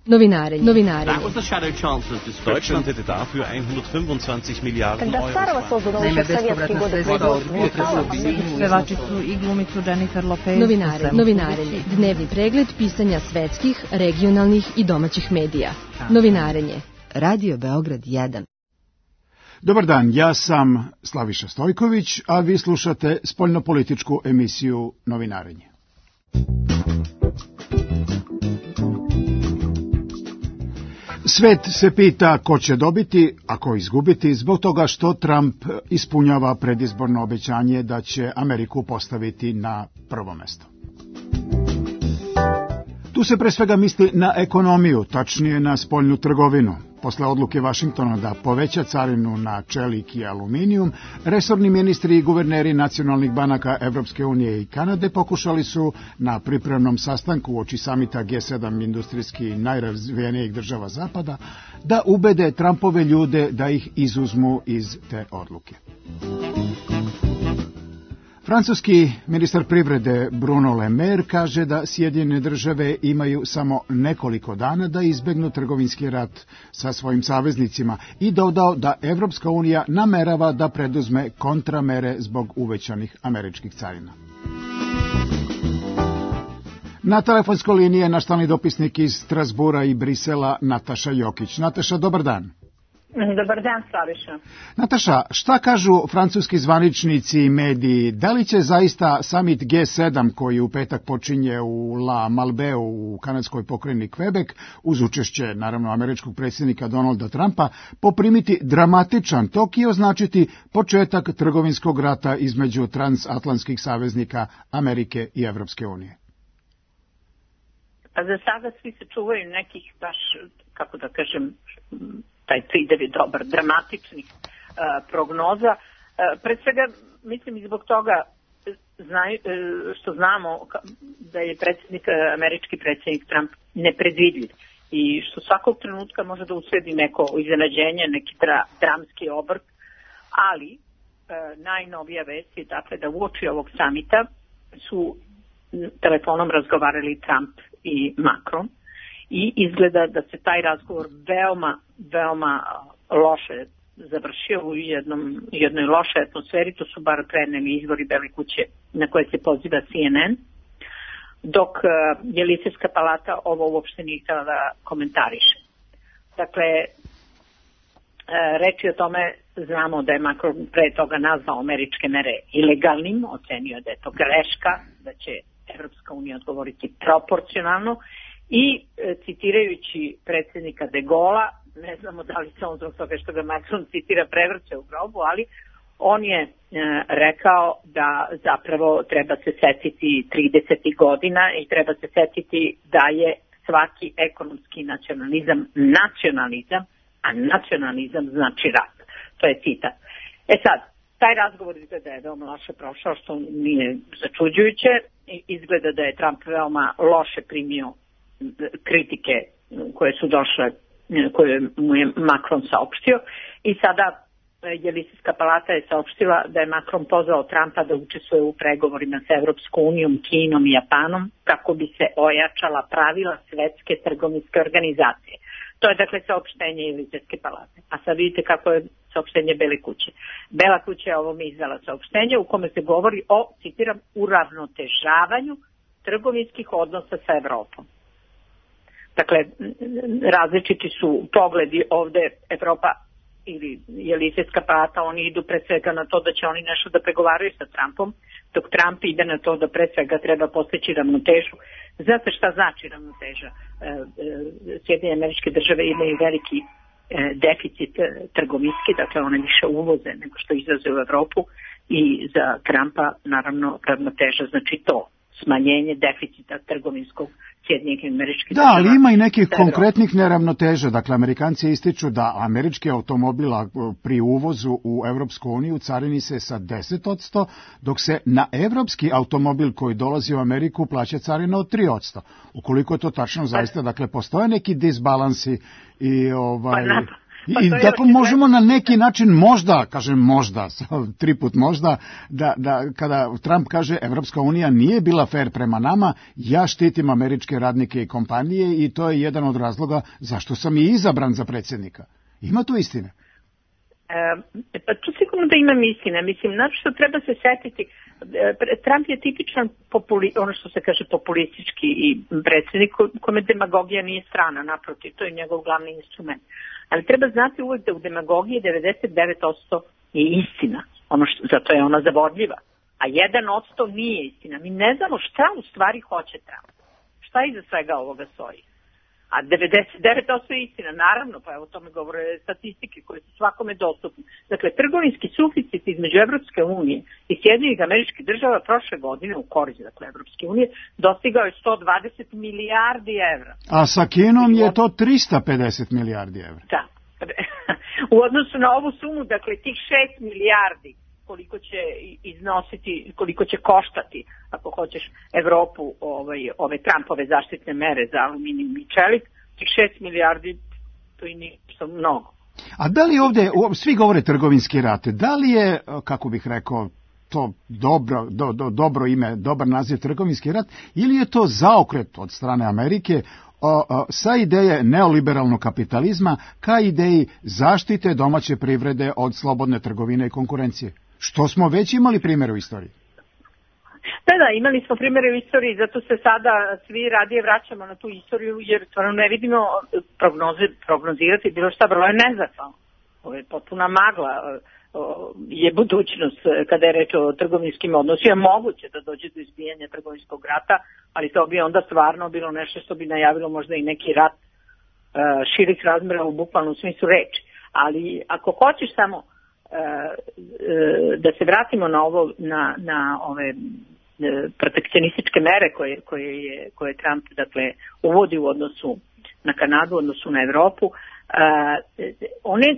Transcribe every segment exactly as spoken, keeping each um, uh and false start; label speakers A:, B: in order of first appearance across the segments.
A: Novinarenje. Novinarenje.
B: That was the shadow chancellor's description.
C: Deutschland hätte dafür hundertfünfundzwanzig Milliarden
D: Когда Сарова создана еще в советские годы
E: Pevačicu i glumicu Jennifer Lopez.
A: Novinarenje. Novinarenje. Dnevni pregled pisanja svetskih, regionalnih i domaćih medija. Novinarenje. Radio Beograd jedan.
F: Dobar dan, ja sam Slaviša Stojković, a vi slušate spoljnopolitičku emisiju Novinarenje. Svet se pita ko će dobiti, a ko izgubiti, zbog toga što Trump ispunjava predizborno obećanje da će Ameriku postaviti na prvo mesto. Tu se pre svega misli na ekonomiju, tačnije na spoljnu trgovinu. Posle odluke Vašingtona da poveća carinu na čelik i aluminijum, resorni ministri i guverneri nacionalnih banaka Evropske unije i Kanade pokušali su na pripremnom sastanku uoči samita G sedam industrijski najrazvijenijih država Zapada da ubede Trumpove ljude da ih izuzmu iz te odluke. Francuski ministar privrede Bruno Le Maire kaže da Sjedinjene države imaju samo nekoliko dana da izbegnu trgovinski rat sa svojim saveznicima i dodao da Evropska unija namerava da preduzme kontramere zbog uvećanih američkih carina. Na telefonskoj liniji je naš stalni dopisnik iz Strasbura i Brisela Nataša Jokić. Nataša, dobar dan.
G: Dobar dan, Slaviša.
F: Nataša, šta kažu francuski zvaničnici i mediji? Da li će zaista summit G sedam, koji u petak počinje u La Malbeu u kanadskoj pokrajini Quebec, uz učešće, naravno, američkog predsjednika Donalda Trumpa, poprimiti dramatičan tok i označiti početak trgovinskog rata između transatlantskih saveznika Amerike i Evropske unije?
G: Pa za sada svi se čuvaju nekih baš, kako da kažem, taj pridev je dobar, dramatičnih uh, prognoza. Uh, pre svega, mislim i zbog toga znaj, uh, što znamo da je predsjednik, uh, američki predsjednik Trump nepredvidljiv i što svakog trenutka može da usledi neko iznenađenje, neki dra, dramski obrt, ali uh, najnovija vest je dakle da uoči ovog samita su telefonom razgovarali Trump i Macron. I izgleda da se taj razgovor veoma, veoma loše završio u jednom, jednoj lošoj atmosferi, to su bar preneli izvori Bele kuće na koje se poziva C N N, dok je Jelisejska palata ovo uopšte nije htjela da komentariše. Dakle, reči o tome, znamo da je Macron pre toga nazvao američke mere ilegalnim, ocenio da je to greška, da će Evropska unija odgovoriti proporcionalno, i e, citirajući predsjednika de Gaulle'a, ne znamo da li se on zbog toga što ga Macron citira prevrće u grobu, ali on je e, rekao da zapravo treba se setiti tridesetih godina i treba se setiti da je svaki ekonomski nacionalizam nacionalizam, a nacionalizam znači rat. To je citat. E sad, taj razgovor izgleda je veoma loše prošao, što nije začuđujuće. Izgleda da je Trump veoma loše primio kritike koje su došle, koje mu je Macron saopštio, i sada Jelisejska palata je saopštila da je Macron pozvao Trumpa da učestvuje u pregovorima sa Evropskom unijom, Kinom i Japanom kako bi se ojačala pravila Svetske trgovinske organizacije. To je dakle saopštenje Jelisejske palate. A sad vidite kako je saopštenje Bele kuće. Bela kuća je ovome izdala saopštenje u kome se govori o, citiram, uravnotežavanju trgovinskih odnosa sa Evropom. Dakle, različiti su pogledi ovde. Evropa ili Jelisejska palata, oni idu pre svega na to da će oni nešto da pregovaraju sa Trumpom, dok Trump ide na to da pre svega treba postići ravnotežu. Znate šta znači ravnoteža? Sjedinjene Američke Države imaju veliki deficit trgovinski, dakle one više uvoze nego što izvoze u Evropu, i za Trumpa naravno ravnoteža znači to, smanjenje deficita trgovinskog Sjedinjenih Američkih Država.
F: Da, ali ima i nekih konkretnih neravnoteža. Dakle, Amerikanci ističu da američki automobila pri uvozu u Evropsku uniju carini se sa deset posto, dok se na evropski automobil koji dolazi u Ameriku plaća carina od tri posto. Ukoliko je to tačno, zaista, dakle, postoje neki disbalansi i ovaj...
G: Pa, na, Pa
F: I dakle možemo na neki način možda, kažem možda, tri put možda, da, da kada Trump kaže Evropska unija nije bila fair prema nama, ja štitim američke radnike i kompanije i to je jedan od razloga zašto sam i izabran za predsjednika. Ima tu istine?
G: E, pa tu sigurno da imam istine. Mislim, znači što treba se setiti, Trump je tipičan populi, ono što se kaže populistički i predsjednik kome demagogija nije strana, naprotiv, to je njegov glavni instrument. Ali treba znati uvek da u demagogiji devedeset devet posto je istina, ono što, zato je ona zavodljiva, a jedan posto nije istina. Mi ne znamo šta u stvari hoće Trump, šta iza svega ovoga stoji. A devedeset devet posto je istina, naravno, pa evo o tome govore statistike koje su svakome dostupne. Dakle, trgovinski suficit između Evropske unije i Sjedinjenih Američkih Država prošle godine u korist, dakle, Evropske unije, dostigao je sto dvadeset milijardi evra.
F: A sa Kinom je to trista pedeset milijardi evra.
G: Da. U odnosu na ovu sumu, dakle, tih šest milijardi koliko će iznositi, koliko će koštati, ako hoćeš, Evropu ovaj, ove Trumpove zaštitne mere za aluminijum i čelik, tih šest milijardi, to i ništa mnogo.
F: A da li ovdje, svi govore trgovinski rat, da li je, kako bih rekao, to dobro, do, do, dobro ime, dobar naziv trgovinski rat, ili je to zaokret od strane Amerike o, o, sa ideje neoliberalnog kapitalizma ka ideji zaštite domaće privrede od slobodne trgovine i konkurencije? Što smo već imali primjer u istoriji.
G: Da, da, imali smo primjere u istoriji, zato se sada svi radije vraćamo na tu istoriju, jer stvarno ne vidimo prognoze, prognozirati bilo šta, vrlo je nezahvalno. Ovo je potpuna magla, je budućnost kada je reč o trgovinskim odnosima. Moguće da dođe do izbijanja trgovinskog rata, ali to bi onda stvarno bilo nešto što bi najavilo možda i neki rat širih razmjera u bukvalnom smislu reči. Ali ako hoćeš samo da se vratimo na ovo, na, na ove protekcionističke mere koje, koje, je, koje Trump dakle, uvodi u odnosu na Kanadu, u odnosu na Evropu, one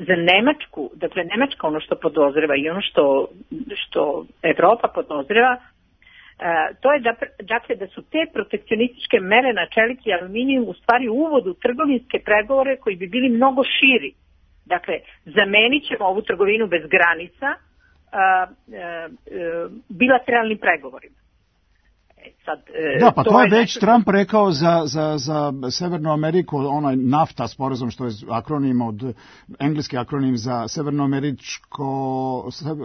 G: za Nemačku, dakle Nemačka ono što podozreva i ono što, što Evropa podozreva, to je da, dakle, da su te protekcionističke mere na čelik i aluminijum u stvari uvod u trgovinske pregovore koji bi bili mnogo širi. Dakle, zamenit ćemo ovu trgovinu bez granica a, a, a, bilateralnim pregovorima. E, sad,
F: da, pa to, to je već
G: nešto...
F: Trump rekao za, za, za Severnu Ameriku, onaj NAFTA sporazum, što je akronim od, engleski akronim za Severnoameričko,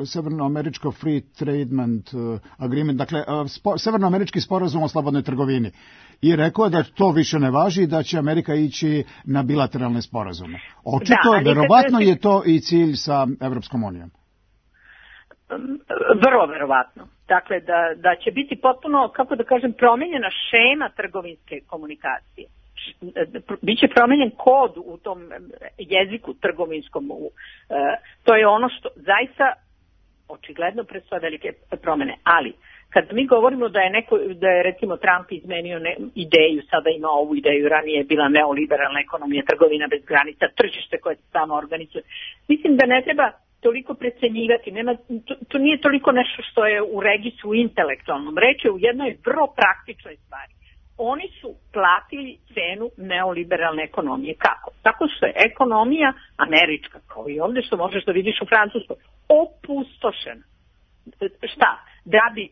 F: Severnoameričko Free Tradement Agreement, dakle, spo, Severnoamerički sporazum o slobodnoj trgovini. I rekao je da to više ne važi i da će Amerika ići na bilateralne sporazume. Očito, da, verovatno je to i cilj sa Evropskom unijom.
G: Vrlo verovatno. Dakle, da, da će biti potpuno, kako da kažem, promijenjena šema trgovinske komunikacije. Biće promijenjen kod u tom jeziku trgovinskom. To je ono što zaista očigledno predstavlja velike promjene. Ali, kad mi govorimo da je neko, da je recimo Trump izmenio ne, ideju, sada ima ovu ideju, ranije je bila neoliberalna ekonomija, trgovina bez granica, tržište koje se samo organizuje. Mislim da ne treba toliko precenjivati, nema, to, to nije toliko nešto što je u registru intelektualnom, reč je u jednoj vrlo praktičnoj stvari. Oni su platili cenu neoliberalne ekonomije. Kako? Tako što je ekonomija američka, kao i ovdje što možeš da vidiš u Francuskoj, opustošena. Šta? Da bi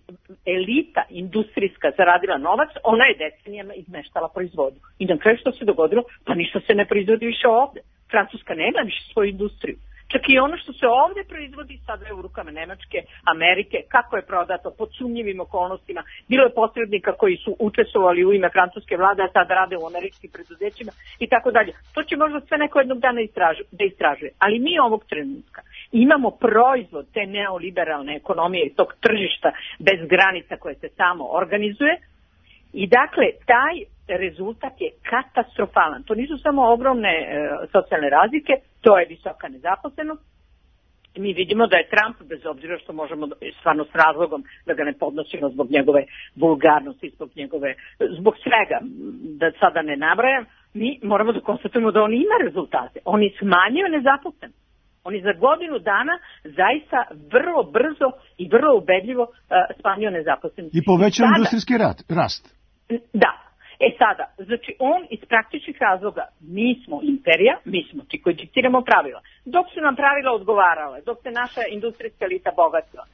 G: elita industrijska zaradila novac, ona je decenijama izmeštala proizvodnju. I na kraju što se dogodilo? Pa ništa se ne proizvodi više ovdje. Francuska nema više svoju industriju. Čak i ono što se ovdje proizvodi sada je u rukama Nemačke, Amerike, kako je prodato pod sumnjivim okolnostima. Bilo je posrednika koji su učestvovali u ime francuske vlade, a sada rade u američkim preduzećima i tako dalje. To će možda sve neko jednog dana istražu, da istražuje. Ali mi ovog trenutka imamo proizvod te neoliberalne ekonomije i tog tržišta bez granica koje se samo organizuje. I dakle, taj rezultat je katastrofalan. To nisu samo ogromne e, socijalne razlike, to je visoka nezaposlenost. Mi vidimo da je Trump, bez obzira što možemo stvarno s razlogom da ga ne podnosimo zbog njegove vulgarnosti, zbog njegove, zbog svega, da sada ne nabrajam, mi moramo da konstatujemo da on ima rezultate. On je smanjio nezaposlenost. On je za godinu dana zaista vrlo brzo i vrlo ubedljivo uh, smanjio nezaposlenost.
F: I povećao industrijski rat, rast.
G: Da. E sada, znači on iz praktičnih razloga, mi smo imperija, mi smo ti koji diktiramo pravila. Dok su nam pravila odgovarale, dok se naša industrijska elita bogatila, uh,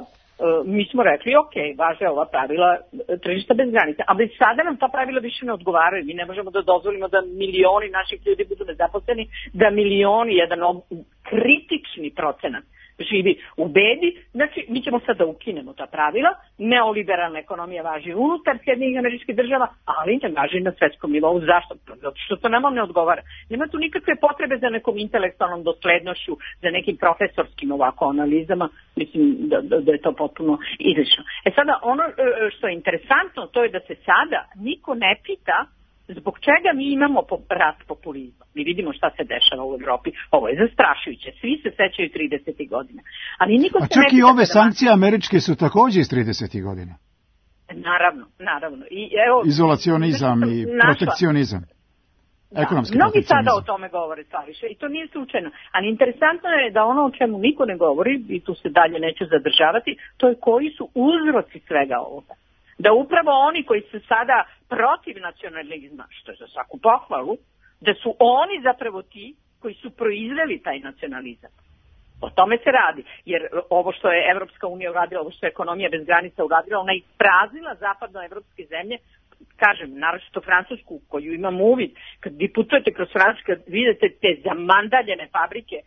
G: uh, mi smo rekli, ok, važe ova pravila tržišta bez granica, ali sada nam ta pravila više ne odgovaraju, mi ne možemo da dozvolimo da milioni naših ljudi budu nezaposleni, da milioni, jedan kritični procenat živi u bedi, znači mi ćemo sad da ukinemo ta pravila, neoliberalna ekonomija važi unutar Sjedinjenih Američkih Država, ali ne važi na svetskom nivou. Zašto? Zato što to nama ne odgovara. Nema tu nikakve potrebe za nekom intelektualnom doslednošću, za nekim profesorskim ovako analizama, mislim da, da, da je to potpuno izlično. E sada, ono što je interesantno, to je da se sada niko ne pita zbog čega mi imamo rast populizma. Mi vidimo šta se dešava u Evropi. Ovo je zastrašujuće. Svi se sećaju tridesetih godina. Ali niko
F: A
G: se
F: čak
G: ne
F: i ove
G: da
F: sankcije da... američke su takođe iz tridesetih godina.
G: Naravno, naravno. I, evo,
F: Izolacionizam i
G: našla.
F: protekcionizam.
G: Da.
F: Ekonomski
G: Mnogi
F: protekcionizam.
G: sada o tome govore, Slaviša, i to nije slučajno. Ali interesantno je da ono o čemu niko ne govori, i tu se dalje neću zadržavati, to je koji su uzroci svega ovoga. Da upravo oni koji su sada protiv nacionalizma, što je za svaku pohvalu, da su oni zapravo ti koji su proizveli taj nacionalizam. O tome se radi, jer ovo što je Evropska unija uradila, ovo što je ekonomija bez granica uradila, ona ispraznila zapadnoevropske zemlje, kažem, naročito Francusku, koju imam uvid, kad vi putujete kroz Francusku, kad vidite te zamandaljene fabrike,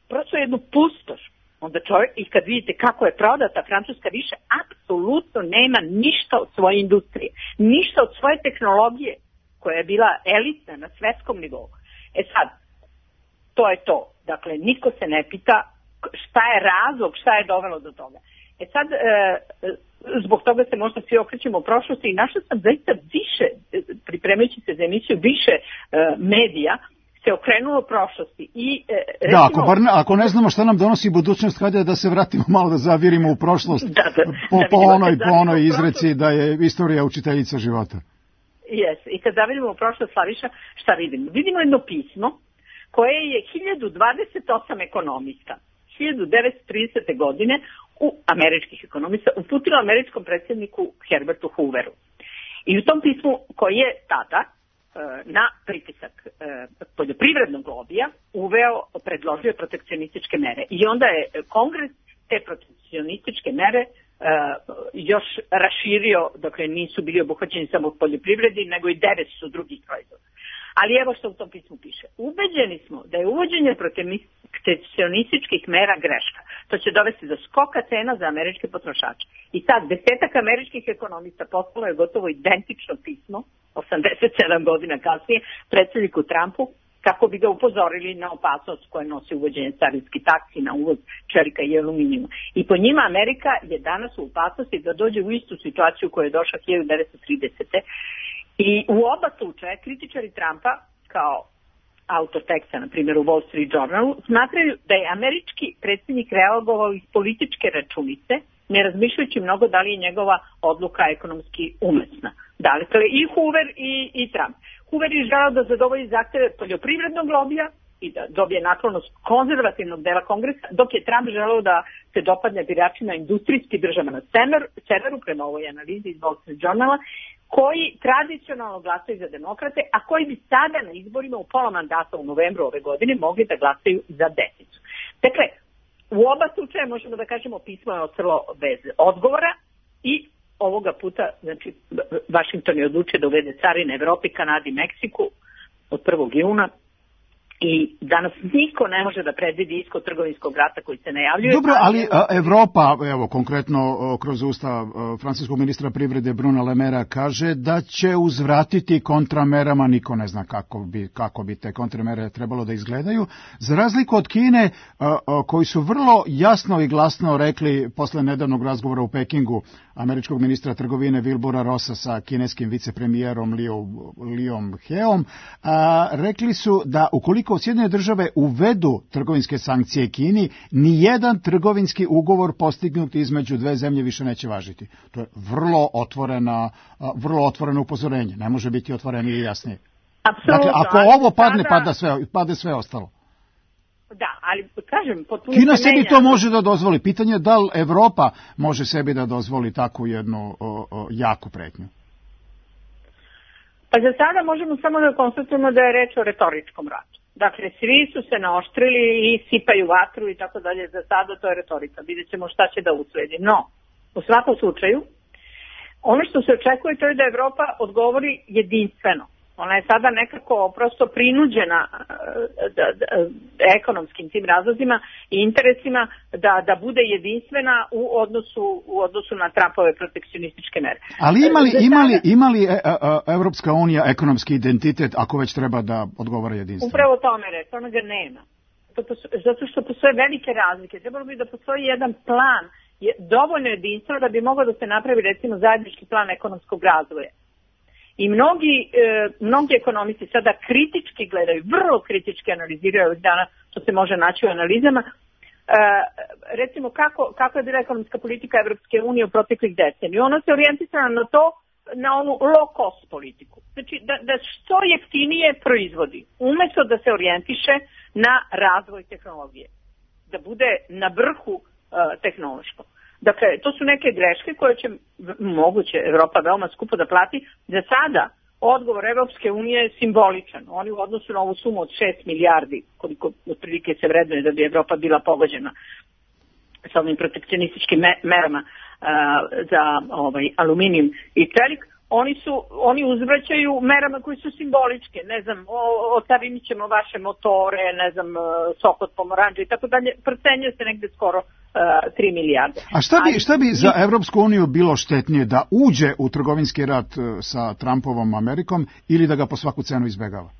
G: prosto jednu pustoš. Onda čovjek, i kad vidite kako je prodata, Francuska više apsolutno nema ništa od svoje industrije, ništa od svoje tehnologije, koja je bila elitna na svetskom nivou. E sad, to je to. Dakle, niko se ne pita šta je razlog, šta je dovelo do toga. E sad, e, zbog toga se možda svi okrećemo u prošlosti i našla sam zaista više, pripremajući se za emisiju, više e, medija se okrenulo prošlosti. I, e, recimo,
F: da, ako, bar ne, ako ne znamo šta nam donosi budućnost, hajde da se vratimo malo da zavirimo u prošlost,
G: da, da,
F: po,
G: da
F: po onoj, po onoj izreci da je istorija učiteljica života.
G: Jes, i kad zavidimo u prošlost, Slaviša, šta vidimo? Vidimo jedno pismo koje je hiljadu dvadeset osam ekonomista hiljadu devetsto tridesete. godine u američkih ekonomista uputilo američkom predsjedniku Herbertu Hooveru. I u tom pismu koji je tada na pritisak poljoprivrednog lobija uveo, predložio protekcionističke mere. I onda je Kongres te protekcionističke mere još raširio, dakle nisu bili obuhvaćeni samo poljoprivredi, nego i devetsto drugih proizvoda. Ali evo što u tom pismu piše. Ubeđeni smo da je uvođenje protekcionističkih mera greška. To će dovesti do skoka cena za američke potrošače. I sad, desetak američkih ekonomista poslalo je gotovo identično pismo, osamdeset sedam godina kasnije, predsjedniku Trumpu, kako bi ga upozorili na opasnost koje nosi uvođenje carinski taksi na uvoz čelika i aluminijuma. I po njima Amerika je danas u opasnosti da dođe u istu situaciju koju je došla hiljadu devetsto tridesete. I u oba slučaja kritičari Trumpa, kao autor teksta, na primjer u Wall Street Journalu, smatraju da je američki predsjednik reagovao iz političke računice, ne razmišljajući mnogo da li je njegova odluka ekonomski umesna. Dakle, i Hoover i, i Trump. Hoover je želeo da zadovolji zahteve poljoprivrednog lobija i da dobije naklonost konzervativnog dela Kongresa, dok je Trump želeo da se dopadne biračima industrijskih država na sever, severu, prema ovoj analizi iz Wall Street Journala, koji tradicionalno glasaju za demokrate, a koji bi sada na izborima u pola mandata u novembru ove godine mogli da glasaju za desnicu. Dakle, u oba slučaja možemo da kažemo pismo je ostalo bez odgovora i ovoga puta, znači, Vašington je odlučio da uvede carine Evropi, Kanadi, Meksiku od prvog juna. I danas niko ne može da predvidi ishod trgovinskog rata koji se najavljuje.
F: Dobro, ali a, Evropa, evo konkretno kroz usta francuskog ministra privrede Bruna Le Maira kaže da će uzvratiti kontramerama, niko ne zna kako bi, kako bi te kontramere trebalo da izgledaju, za razliku od Kine a, a, koji su vrlo jasno i glasno rekli posle nedavnog razgovora u Pekingu američkog ministra trgovine Wilbura Rossa sa kineskim vicepremijerom Liom Heom, a, rekli su da ukoliko Sjedinjene države uvedu trgovinske sankcije Kini, nijedan trgovinski ugovor postignut između dve zemlje više neće važiti. To je vrlo otvorena, vrlo otvoreno upozorenje. Ne može biti otvorenije i jasnije.
G: Apsolutno.
F: Dakle, ako ovo padne, pada sve, padne sve ostalo.
G: Da, ali kažem, potpuno
F: Kina sebi to može da dozvoli. Pitanje je da li Evropa može sebi da dozvoli takvu jednu o, o, jaku pretnju.
G: Pa za sada možemo samo da konstatujemo da je reč o retoričkom ratu. Dakle, svi su se naoštrili i sipaju vatru i tako dalje. Za sada to je retorika. Vidjet ćemo šta će da usledi. No, u svakom slučaju, ono što se očekuje to je da Evropa odgovori jedinstveno. Ona je sada nekako prosto prinuđena da, da, ekonomskim tim razlozima i interesima da, da bude jedinstvena u odnosu, u odnosu na Trumpove protekcionističke mere.
F: Ali imali, imali, imali Evropska unija ekonomski identitet ako već treba da odgovara jedinstveno?
G: Upravo tome reći, ona ga nema. Zato što postoje velike razlike. Trebalo bi da postoji jedan plan je dovoljno jedinstveno da bi mogao da se napravi recimo zajednički plan ekonomskog razvoja. I mnogi, e, mnogi ekonomisti sada kritički gledaju, vrlo kritički analiziraju ovih dana, što se može naći u analizama, e, recimo kako, kako je bila ekonomska politika Evropske unije u proteklih decenija. Ona se orijentisana na to, na onu low cost politiku. Znači da, da što jeftinije proizvodi, umjesto da se orijentiše na razvoj tehnologije. Da bude na vrhu e, tehnološkom. Dakle, to su neke greške koje će moguće Evropa veoma skupo da plati. Za sada odgovor Evropske unije je simboličan. Oni u odnosu na ovu sumu od šest milijardi, koliko otprilike se vrednuje da bi Evropa bila pogođena sa ovim protekcionističkim merama uh, za ovaj, aluminijum i čelik, oni su, oni uzvraćaju merama koji su simboličke, ne znam, otarinit ćemo vaše motore, ne znam, sok od pomoranđa i tako dalje, procenjuje se negde skoro uh, tri milijarde.
F: A šta bi, šta bi za Evropsku uniju bilo štetnije, da uđe u trgovinski rat sa Trumpovom Amerikom ili da ga po svaku cenu izbegava?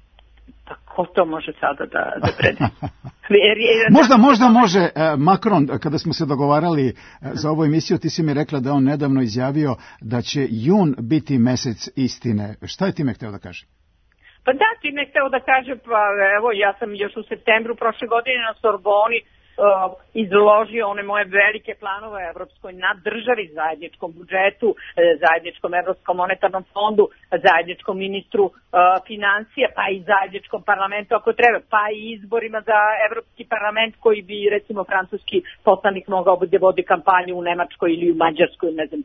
G: Pa ko to može sada da, da predi?
F: možda, možda može Macron, kada smo se dogovarali za ovu emisiju, ti si mi rekla da on nedavno izjavio da će jun biti mesec istine. Šta je time hteo da kaže?
G: Pa da, time hteo da kaže, pa evo, ja sam još u septembru prošle godine na Sorboni Uh, izložio one moje velike planove o evropskoj naddržavi, zajedničkom budžetu, uh, zajedničkom evropskom monetarnom fondu, zajedničkom ministru uh, financija, pa i zajedničkom parlamentu ako treba, pa i izborima za evropski parlament koji bi recimo francuski poslanik mogao da vodi kampanju u Nemačkoj ili u Mađarskoj, ne znam.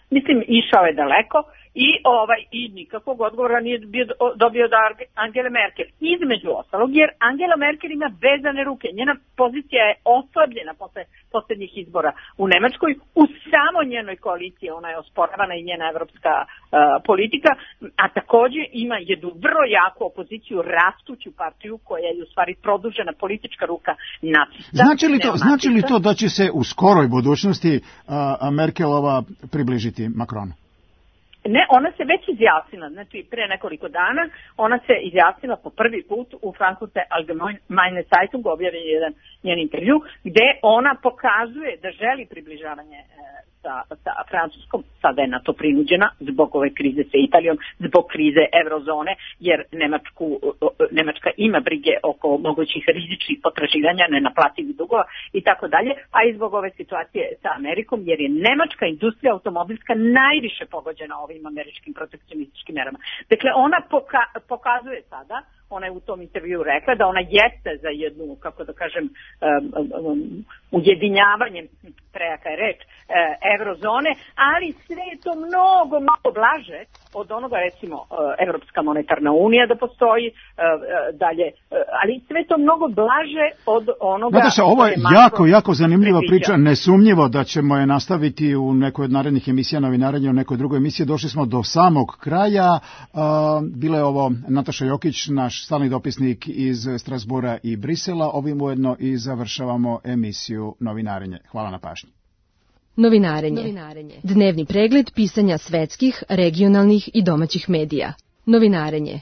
G: Mislim, išao je daleko i ovaj i nikakvog odgovora nije bio, dobio od Angele Merkel. Između ostalog, jer Angela Merkel ima vezane ruke. Njena pozicija je oslabljena posle posljednjih izbora u Nemačkoj. U samo njenoj koaliciji ona je osporavana i njena evropska uh, politika, a također ima jednu vrlo jaku opoziciju, rastuću partiju koja je u stvari produžena politička ruka nacista.
F: Znači li to, znači li to da će se u skoroj budućnosti uh, Merkelova približiti Macronu?
G: Ne, ona se već izjasnila, znači pre nekoliko dana, ona se izjasnila po prvi put u Frankfurter Allgemeine Zeitung, objavljen je jedan njen intervju, gde ona pokazuje da želi približavanje e, sa, sa Francuskom, sada je na to prinuđena zbog ove krize sa Italijom, zbog krize eurozone, jer Nemačku, Nemačka ima brige oko mogućih rizičnih potraživanja, nenaplativih dugova i tako dalje, a i zbog ove situacije sa Amerikom, jer je nemačka industrija automobilska najviše pogođena ovim američkim protekcionističkim merama. Dakle, ona poka pokazuje sada, ona je u tom intervju rekla da ona jeste za jednu, kako da kažem, um, um, ujedinjavanje, prejaka je reč, eurozone, ali sve je to mnogo, mnogo blaže od onoga, recimo, Evropska monetarna unija da postoji, dalje, ali sve to mnogo blaže od onoga...
F: Nataša, ovo je jako, jako zanimljiva priča, nesumnjivo da ćemo je nastaviti u nekoj od narednih emisija novinarenja, u nekoj drugoj emisiji. Došli smo do samog kraja. Bila je ovo Nataša Jokić, naš stalni dopisnik iz Strasbura i Brisela. Ovim ujedno i završavamo emisiju Novinarenje. Hvala na pažnji.
A: Novinarenje. Novinarenje. Dnevni pregled pisanja svetskih, regionalnih i domaćih medija. Novinarenje.